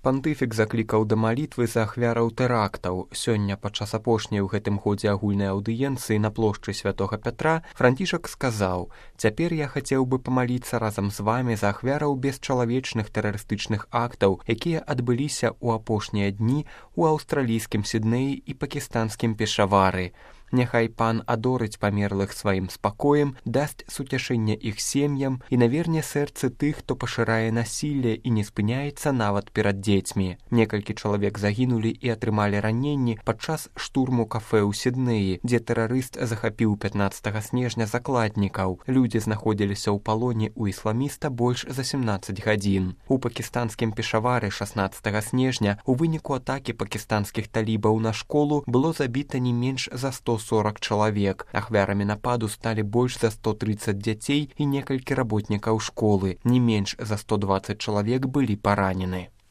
Пантыфік заклікаў да малітвы за ахвяраў тэрактаў. Сёння падчас апошняй у гэтым годзе агульнай аўдыенцыі на плошчы Святога Пятра Францішак сказаў: «Цяпер я хацеў бы памаліцца разам з вамі за ахвяраў бесчалавечных тэрарыстычных актаў, якія адбыліся ў апошнія дні ў аўстралійскім Сіднеі і пакістанскім Пешавары. Няхай пан адорыць памерлых сваім спакоем, дасць суцяшэнне іх сем'ям і наверне сэрцы тых, хто пашырае насілле і не спыняецца нават перад дзецьмі». Некалькі чалавек загінулі і атрымалі раненні падчас штурму кафэ ў Сіднеі, дзе тэрарыст захапіў 15 снежня закладнікаў. Людзі знаходзіліся ў палоне ў ісламіста больш за 17 гадзін. У пакістанскім Пешавары 16 снежня у выніку атакі пакістанскіх талібаў на школу было забіта не менш за 140 чалавек. Ахвярамі нападу сталі больш за 130 дзяцей і некалькі работнікаў школы. Не менш за 120 чалавек былі паранены.